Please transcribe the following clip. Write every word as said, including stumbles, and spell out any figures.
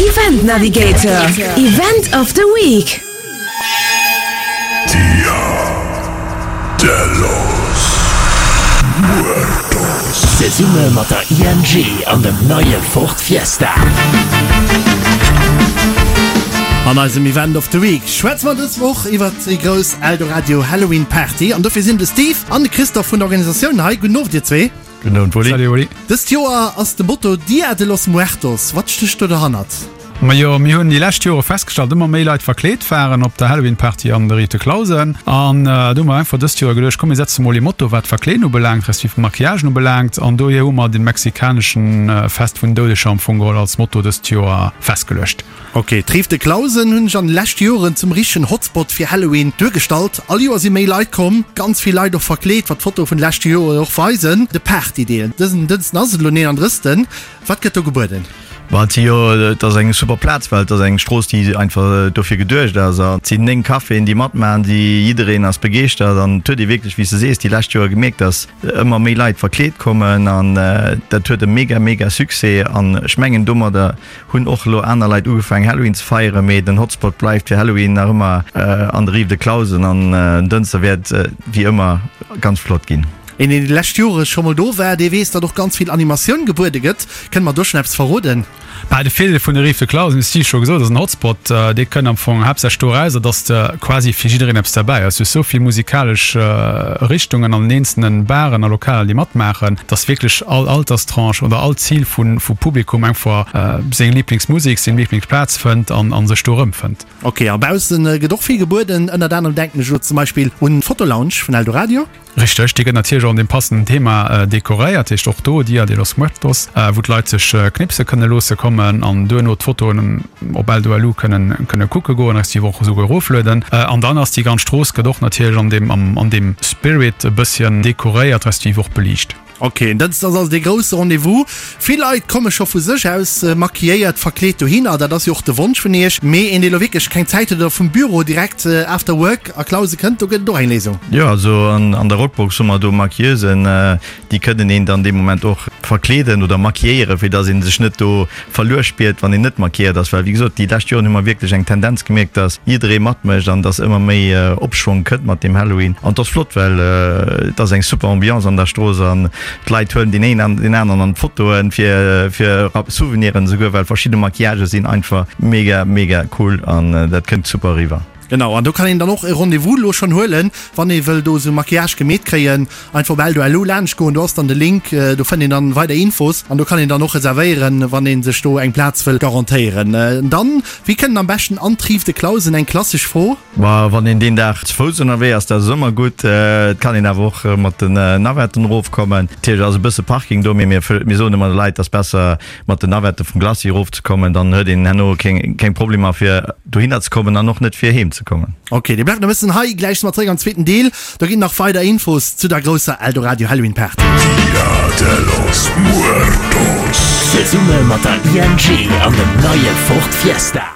Event Navigator, Event of the Week. Dia de los Muertos. Zesumme mat der I N G an dem neie Ford Fiesta. An eisem Event of the Week schwätze mer dës Woch iwwer déi grouss Eldoradio Halloween Party an dofir sinn de Steve an de Christophe vun der Organisatioun hei. Gudden Owend dir zwee. Gudden Owend, Wally. Salut, Wally. Dëst Joer ass de Motto Dia de los Muertos. Wat stécht do derhannert? Majo, mir hunn déi lescht Jore festgestallt, ëmmer méi Leit verkleet waren op der Halloween Party an der Rive de Clausen an äh, do hu mer einfach dëst Joer geduecht, komm mir setze mol e Motto wat Verkleeden ubelaangt, respektiv Maquillagen ubelaangt an dohier hu mer den mexikaneschen äh, Fest vun Doudeger am Fong geholl als Motto dëst Joer festgeluecht. Ok, d'Rive de Clausen hunn sech an de leschte Joren zum richtegen Hotspot fir Halloween duergestallt. All Joer si méi Leit komm, ganz vill Leit och verkleet, wat d'Fotoe vun de leschte Joren och weisen. De Partydeel dësen Dënschden ass et elo neenandrëssten. Wat gëtt do gebueden? Ma et si jo, et ass eng super Plaz, well et ass eng Strooss, déi einfach dofir geduecht ass. A et sinn néng Caféen, déi matmaachen, déi jiddereen ass begeeschtert an et huet ee wierklech, wéi s de sees, déi lescht Joer gemierkt, dass ëmmer méi Leit verkleet kommen an dat huet e mega, mega Succès. An ech mengen, domadder hunn och elo aner Leit ugefaangen, Halloween ze feieren, mee den Hotspot bleift fir Halloween nach ëmmer an der Rive de Clausen an en Dënschde wäert wéi ëmmer ganz flott ginn. Een, deen déi lescht Jore scho mol do war, dee weess, datt och ganz vill Animatioun gebuede gëtt. Kënnt mer do schonn eppes verroden? Bah, de Virdeel vun der Rive de Clausen, hues de scho gesot, ass en Hotspot. Dee kënnt am Fong haaptsächlech dorauser, datt de quasi fir jiddereen eppes derbäi ass. Du hues esou vill musikalesch Richtungen an den eenzelnen Baren a Lokaler, déi matmaachen, datt wierklech all Alterstranche oder all Zil vu vu Publikum einfach seng Liblingsmusek, seng Liblingsplaz fënnt an a sech do erëmfënnt. Ok, a baussen gëtt och vill gebueden. Ënnert anerem denken ech elo zum Beispill un d'Fotolounge vun Eldoradio. Richteg, déi gëtt natierlech och an deem passenden Thema dekoréiert, heescht och do Dia de los Muertos, wou d'Leit sech knipse kënne loosse kommen an duerno d'Fotoen op Eldo L U kënnen kënne kucke goen, respektiv och esouguer eroflueden. An dann ass déi ganz Strooss gëtt och natierlech an deem an deem Spirit e bësschen dekoréiert, respektiv och beliicht. Ok, dat ass also dee grousse Rendez-vous. Vill Leit komme scho vu sech aus maquilléiert, verkleet dohinner. Dat ass jo och de Wonsch vun iech. Mee een, dee lo wierklech keng Zäit huet oder vum Büro direkt after work a Clause kënnt, do gëtt et och eng Léisung. Jo, also an der Rockbox hu mer do Maquilleusen, déi kënnen een dann dee Moment och verkleeden oder maquilléieren, fir dass ee sech net do verluer spiert, wann een net maquilléiert ass. Well wéi gesot, déi lescht Joren hu mer wierklech eng Tendenz gemierkt, dass jidderee matmécht an dass ëmmer méi Opschwong kënnt mat deem Halloween. An et ass flott, well et ass eng super Ambiance an der Strooss an d'Leit huelen deen een an deen aneren an d'Fotoen fir fir Souveniren esouguer, well verschidde Maquillagë sinn einfach mega mega cool an dat kënnt super eriwwer. Genau, an do kann een dann och e Rendez-vous elo schonn huelen, wann ee wëll do esou Maquillage gemeet kréien. Einfach op Eldo L U laanscht goen, do ass dann de Link, do fënnt een dann weider Infos an do kann een dann och reservéieren, wann ee sech do eng Plaz wëll garantéieren. Dann, wéi kënnt en am beschten an d'Rive de Clausen? Eng klassesch Fro. Ma wann een deen Dag ze Fouss ënnerwee ass, dat ass ëmmer gutt. Et kann een awer och mat den Navetten erofkommen. Natierlech ass e bësse Parking do, mee mir mir soen ëmmer de Leit, dass besser mat den Navette vum Glacis erofzekommen, dann huet een herno keng keng Problemer fir dohinner ze kommen an och net fir heem ze kommen. Ok, dir bleift nach e bëssen hei, gläich si mer zeréck am zweeten Deel. Do ginn nach weider Infos zu der grousser Eldoradio Halloween Party. Dia de los Muertos. Zesumme mat der I N G an dem neie Ford Fiesta.